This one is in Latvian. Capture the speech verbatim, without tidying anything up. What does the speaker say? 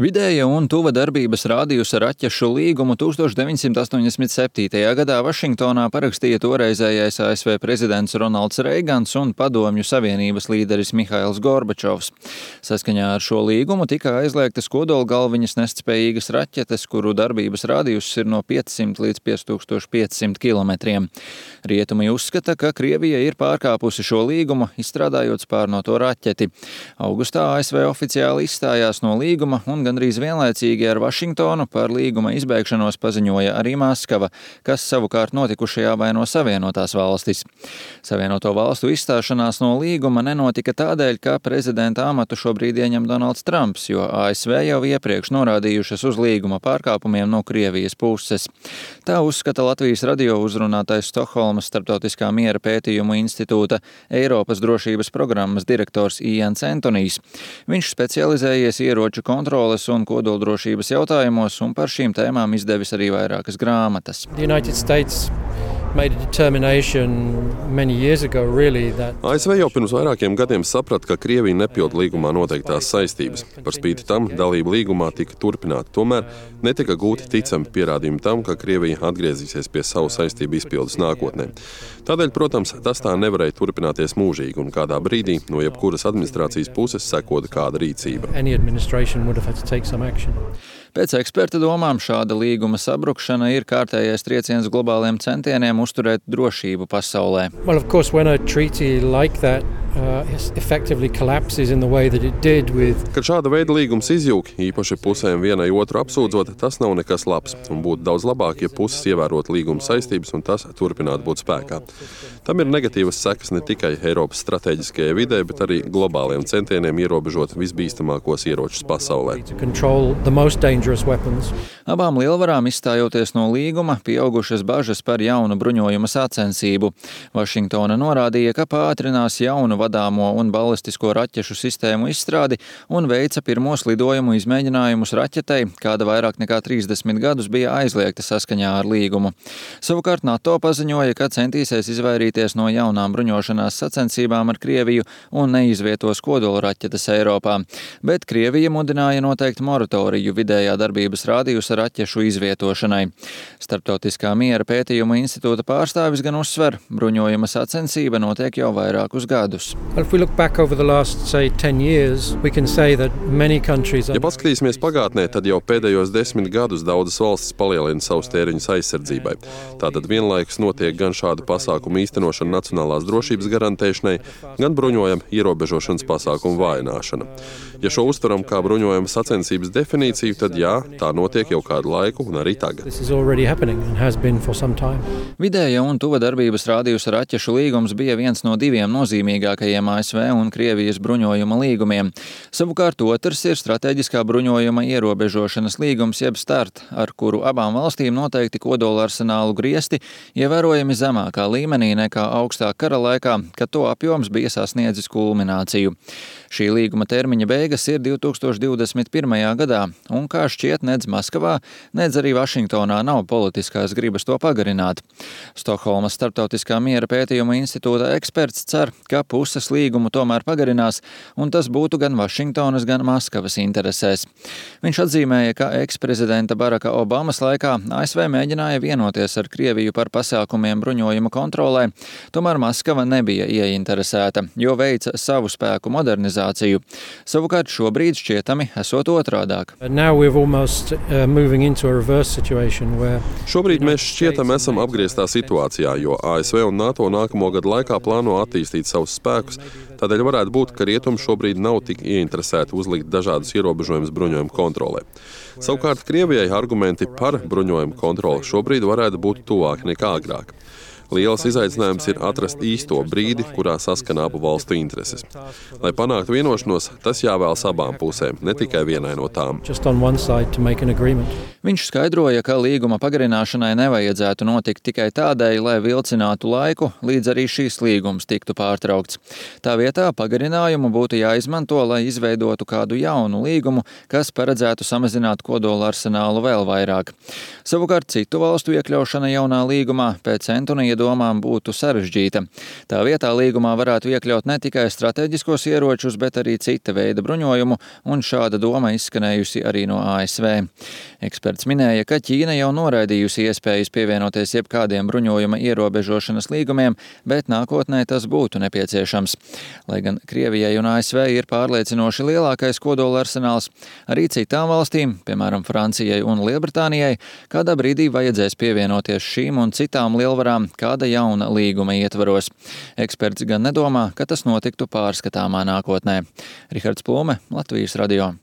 Vidēja un tuva darbības rādījusa raķešu līgumu tūkstoš deviņsimt astoņdesmit septītajā gadā Vašingtonā parakstīja toreizējais A S V prezidents Ronalds Reigans un Padomju Savienības līderis Mihails Gorbačovs. Saskaņā ar šo līgumu tika aizliegtas kodolgalviņas nestspējīgas raķetes, kuru darbības rādījus ir no piecsimt līdz pieci tūkstoši piecsimt kilometriem. Rietumi uzskata, ka Krievija ir pārkāpusi šo līgumu, izstrādājot spārnoto raķeti. Augustā A S V oficiāli izstājās no līguma un gandrīz vienlaicīgi ar Vašingtonu par līguma izbeigšanos paziņoja arī Maskava, kas savukārt notikušajā vaino Savienotās valstis. Savienoto valstu izstāšanās no līguma nenotika tādēļ, ka prezidenta amatu šobrīd ieņem Donalds Trumps, jo A S V jau iepriekš norādījušas uz līguma pārkāpumiem no Krievijas puses. Tā uzskata Latvijas radio uzrunātais Stokholmas Starptautiskā miera pētījumu institūta Eiropas drošības programmas direktors Ians Antonijs. Viņš specializējies ieroču kontroles un kodoldrošības jautājumos un par šīm tēmām izdevis arī vairākas grāmatas. A S V jau pirms vairākiem gadiem saprata, ka Krievija nepild līgumā noteiktās saistības. Par spīti tam dalība līgumā tika turpināta. Tomēr netika gūti ticami pierādījumi tam, ka Krievija atgriezīsies pie savu saistību izpildes nākotnē. Tādēļ, protams, tas tā nevarēja turpināties mūžīgi, un kādā brīdī no jebkuras administrācijas puses sekoda kāda rīcība. Pēc eksperta domām šāda līguma sabrukšana ir kārtējais trieciens globāliem centieniem uzturēt drošību pasaulē. Well, of course, when a treaty like that uh, effectively collapses in the way that it did with... Kad šāda veida līgums izjūg, īpaši pusēm vienai otru apsūdzot, tas nav nekas labs, un būtu daudz labāk, ja puses ievērot līguma saistības un tas turpinātu būt spēkā. Tam ir negatīvas sekas ne tikai Eiropas strateģiskajai vidē, bet arī globāliem centieniem ierobežot visbīstamākos ieročus pasaulē. Abām lielvarām izstājoties no līguma, pieaugušas bažas par jaunu bruņojuma sacensību. Vašingtona norādīja, ka pātrinās jaunu vadāmo un balistisko raķešu sistēmu izstrādi un veica pirmos lidojumu izmēģinājumus raķetei, kāda vairāk nekā trīsdesmit gadus bija aizliegta saskaņā ar līgumu. Savukārt NATO paziņoja, ka centīsies izvairīties no jaunām bruņošanās sacensībām ar Krieviju un neizvietos kodolraķetes Eiropā, bet Krievija mudināja noteikt moratoriju vidējā darbības rādījusa raķešu izvietošanai. Starptautiskā miera pētījuma institūta pārstāvis gan uzsver, bruņojuma sacensība notiek jau vairākus gadus. Ja paskatīsimies pagātnē, tad jau pēdējos desmit gadus daudzas valstis palielina savus tēriņus aizsardzībai. Tātad vienlaikus notiek gan šādu pasākumu īstenošana nacionālās drošības garantēšanai, gan bruņojuma ierobežošanas pasākumu vājināšana. Ja šo uztveram kā bruņojuma sacensības definīciju, tad jā, tā notiek jau kādu laiku un arī tagad. Vidēja un tuva darbības rādījusa raķešu līgums bija viens no diviem nozīmīgākajiem A S V un Krievijas bruņojuma līgumiem. Savukārt otrs ir strateģiskā bruņojuma ierobežošanas līgums jeb START, ar kuru abām valstīm noteikti kodola arsenālu griesti ievērojami zemākā līmenī nekā augstā kara laikā, kad to apjoms bija sasniedzis kulmināciju. Šī līguma termiņa beigas ir divtūkstoš divdesmit pirmajā gadā, un kā šķiet, nedz Maskavā, nedz arī Vašingtonā nav politiskās gribas to pagarināt. Stokholmas Starptautiskā miera pētījuma institūta eksperts cer, ka puses līgumu tomēr pagarinās, un tas būtu gan Vašingtonas, gan Maskavas interesēs. Viņš atzīmēja, ka eksprezidenta Baraka Obamas laikā A S V mēģināja vienoties ar Krieviju par pasākumiem bruņojuma kontrolē, tomēr Maskava nebija ieinteresēta, jo veica savu spēku modernizāciju. Savukārt šobrīd šķietami esot otrādāk. Šobrīd mēs šķietam esam apgrieztā situācijā, jo A S V un NATO nākamo gadu laikā plāno attīstīt savus spēkus, tādēļ varētu būt, ka rietumi šobrīd nav tik ieinteresēti uzlikt dažādus ierobežojumus bruņojuma kontrolē. Savukārt Krievijai argumenti par bruņojuma kontroli šobrīd varētu būt tuvāki nekā agrāk. Liels izaicinājums ir atrast īsto brīdi, kurā saskana abu valstu intereses. Lai panāktu vienošanos, tas jāvēlas abām pusēm, ne tikai vienai no tām. Viņš skaidroja, ka līguma pagarināšanai nevajadzētu notikt tikai tādēļ, lai vilcinātu laiku, līdz arī šīs līgums tiktu pārtraukts. Tā vietā pagarinājumu būtu jāizmanto, lai izveidotu kādu jaunu līgumu, kas paredzētu samazināt kodola arsenālu vēl vairāk. Savukārt citu valstu iekļaušana jaunā līgumā pēc Antonija domām būtu sarežģīta. Tā vietā līgumā varētu iekļaut ne tikai strateģiskos ieročus, bet arī cita veida bruņojumu, un šāda doma izskanējusi arī no A S V. Eksperts minēja, ka Ķīna jau noraidījusi iespējas pievienoties jebkādiem bruņojuma ierobežošanas līgumiem, bet nākotnē tas būtu nepieciešams. Lai gan Krievijai un A S V ir pārliecinoši lielākais kodola arsenāls, arī citām valstīm, piemēram Francijai un Lielbritānijai, kādā brīdī vajadzēs pievienoties šīm un citām lielvarām kāda jauna līguma ietvaros. Eksperts gan nedomā, ka tas notiktu pārskatāmā nākotnē. Rihards Plūme, Latvijas radio.